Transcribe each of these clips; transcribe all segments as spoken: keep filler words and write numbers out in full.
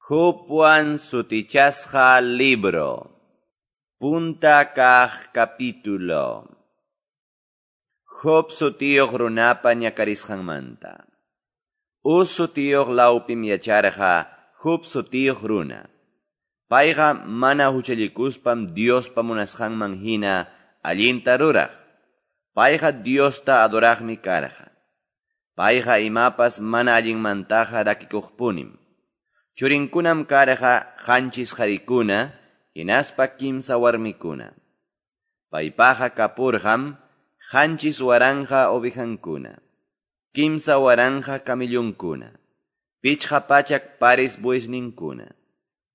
Jobwan sutichasqa libro. Punta kaq capítulo. Job sutiyuq runapa ñakarisqanmanta. Uz sutiyuq lawpim yacharqa Job sutiyuq runa. Payqa mana huchallikuspam Diospa munasqanman hina allinta ruraq. Payqa Diosta adoraqmi karqa. Payqa imapas mana allinmantaqa rakikuqpunim. Churinkunam karqa qanchis qarikuna, hinaspa kimsa warmikuna. Paypaqa kapurqam qanchis waranqa ovejankuna, kimsa waranqa camellonkuna, pichqa pachak pares buesninkuna,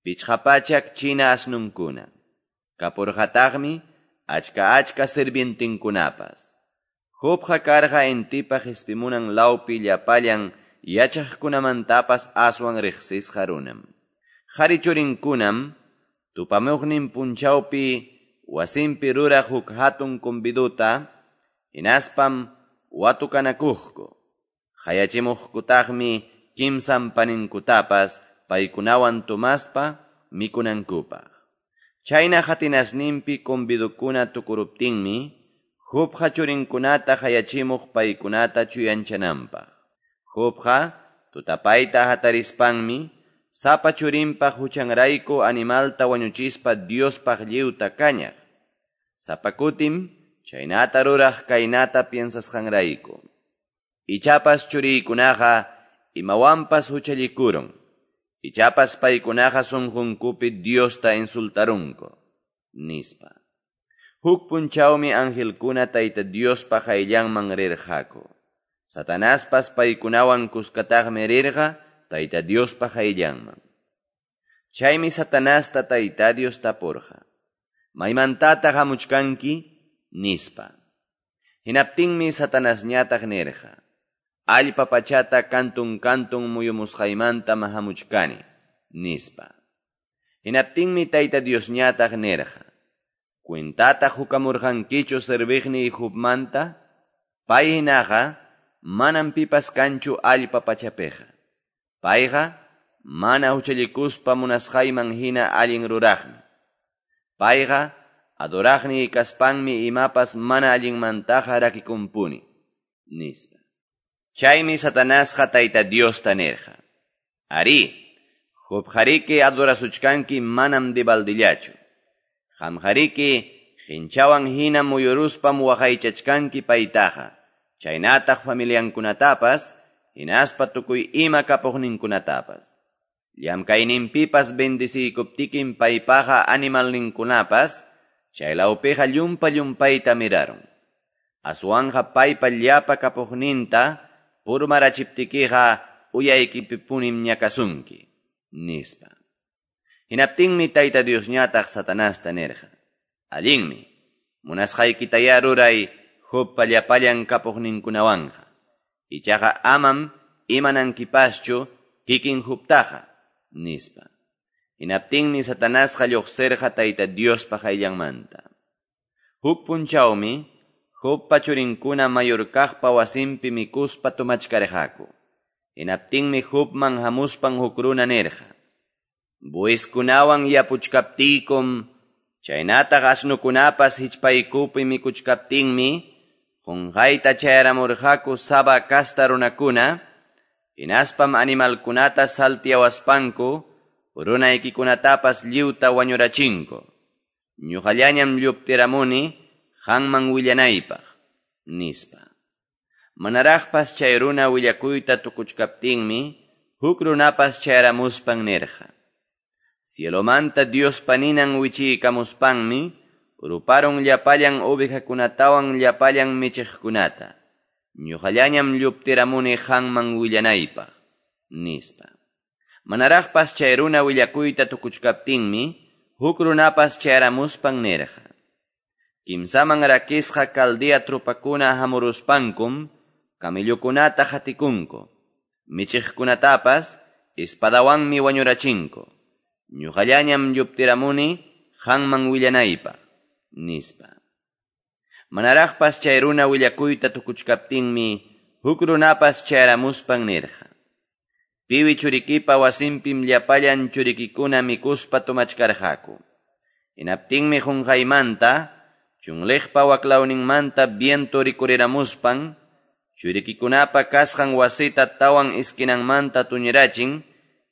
pichqa pachak china asnunkuna. Kapurqataqmi achka achka sirvientinkunapas. Jobqa karqa intipa qispimunan lawpi llapallan yachaqkunamantapas aswan riqsisqa runam. Qhari churinkunam tupamuqnin punchawpi wasinpi ruraq huk hatun conviduta, hinaspam watukanakuqku. Qayachimuqkutaqmi kimsan paninkutapas paykunawan tumaspa mikunankupaq. Chayna hatinasninpi convidukuna tukuruptinmi, Jobqa churinkunata qayachimuq paykunata chuyanchananpaq. Jobqa tutapayta hatarispanmi, sapa churinpaq huchanrayku animalta wañuchispa Diospaq lliwta kañaq. Sapa kutim chaynata ruraq kaynata piensasqanrayku. Ichapas churiykunaqa imawanpas huchallikurun. Ichapas paykunaqa sunqunkupi Diosta insultarunku, nispa. Huk punchawmi angelkuna Tayta Diospa qayllanman rirqaku. Satanaspas paykunawan kuskataqmi rirqa Tayta Diospa qayllanman. Chaymi Satanasta Tayta Dios tapurqa: "Maymantataq hamuchkanki?" nispa. Hinaptinmi Satanasñataq nirqa: "Allpa pachata kantun kantun muyumusqaymantam hamuchkani", nispa. Hinaptinmi Tayta Diosñataq nirqa: "Cuentata hukamurqankichu serviqniy Jobmanta? Pay hinaqa manam pipas kanchu allpa pachapiqa. Payqa mana huchallikuspa munasqayman hina allin ruraqmi. Payqa adoraqniy kaspanmi imapas mana allinmantaqa rakikunpuni", nispa. Chaymi Satanasqa Tayta Diosta nirqa: "Arí, Jobqariki adorasuchkanki manam debaldillachu. Qamqariki qinchawan hina muyuruspam waqaychachkanki paytaqa, chaynataq familiankunatapas, hinaspa tukuy ima kapuqninkunatapas. Llamkayninpipas bendeciykuptikim paypaqa animalninkunapas, chaylawpiqa llumpa llumpayta mirarun. Aswanqa paypa llapa kapuqninta purmarachiptikiqa uyaykipipunim ñakasunki", nispa. Hinaptinmi Tayta Diosñataq Satanasta nirqa: "Allinmi, munasqaykitayá ruray Jobpa llapallan kapuqninkunawanqa. Ichaqa amam imanankipaschu kikin Jobtaqa", nispa. Hinaptinmi Satanasqa lluqsirqa Tayta Diospa qayllanmanta. Huk punchawmi Jobpa churinkuna mayor kaqpa wasinpi mikuspa tumachkarqaku. Hinaptinmi Jobman hamuspan huk runa nirqa: "Bueskunawan yapuchkaptiykum, chaynataq asnukunapas hichpaykupi mikuchkaptinmi, qunqayta chayaramurqaku Saba kasta runakuna, hinaspam animalkunata saltiawaspanku, runaykikunatapas lliwta wañurachinku. Ñuqallañam lluptiramuni qanman willanaypaq", nispa. Manaraqpas chay runa willakuyta tukuchkaptinmi, huk runapas chayaramuspan nirqa: "Cielomanta Diospa ninan wichiykamuspanmi, ruparun llapallan ovejakunatawan llapallan michiqkunata. Ñuqallañam lluptiramuni qanman willanaypaq", nispa. Manaraqpas chay runa willakuyta tukuchkaptinmi, huk runapas chayaramuspan nirqa: "Kimsaman rakisqa Caldea trupakuna hamuruspankum, camellokunata hatikunku, michiqkunatapas espadawanmi wañurachinku. Ñuqallañam lluptiramuni qanman willanaypaq", nispa. Manaraqpas chay runa willakuyta tukuchkaptinmi, huk runapas chayaramuspan nirqa: Piwi churikipa wasinpim llapallan churikikuna mikuspa tomachkarqaku. Hinaptinmi qunqaymanta, chunliqpa waklawninmanta viento rikuriramuspan, churikikunapa kasqan wasita tawan esquinanmanta tuñirachin,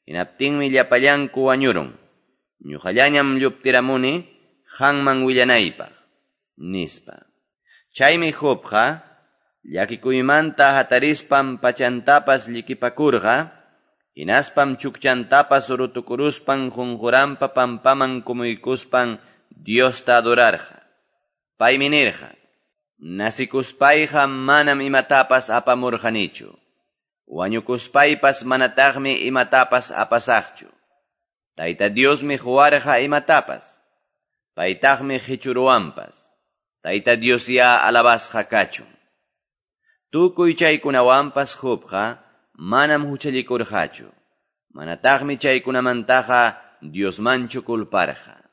hinaptinmi llapallanku wañurun. Ñuqallañam lluptiramuni, qanman willanaypaq, nispa. Chaymi Jobqa, llakikuymanta hatarispan pachantapas llikipakurqa, hinaspam chukchantapas rutukuruspan qunquranpa pampaman kumuykuspan Diosta adorarqa. Paymi nirqa, nasikuspayqa manam imatapas apamurqanichu. Wañukuspaypas manataqmi imatapas apasaqchu. Tayta Diosmi quwarqa imatapas. Paytaqmi qichuruwanpas. Tayta Diosyá alabasqa kachun. Tukuy chaykunawanpas Jobqa manam huchallikurqachu. Manataqmi chaykunamantaqa Diosmanchu culparqa.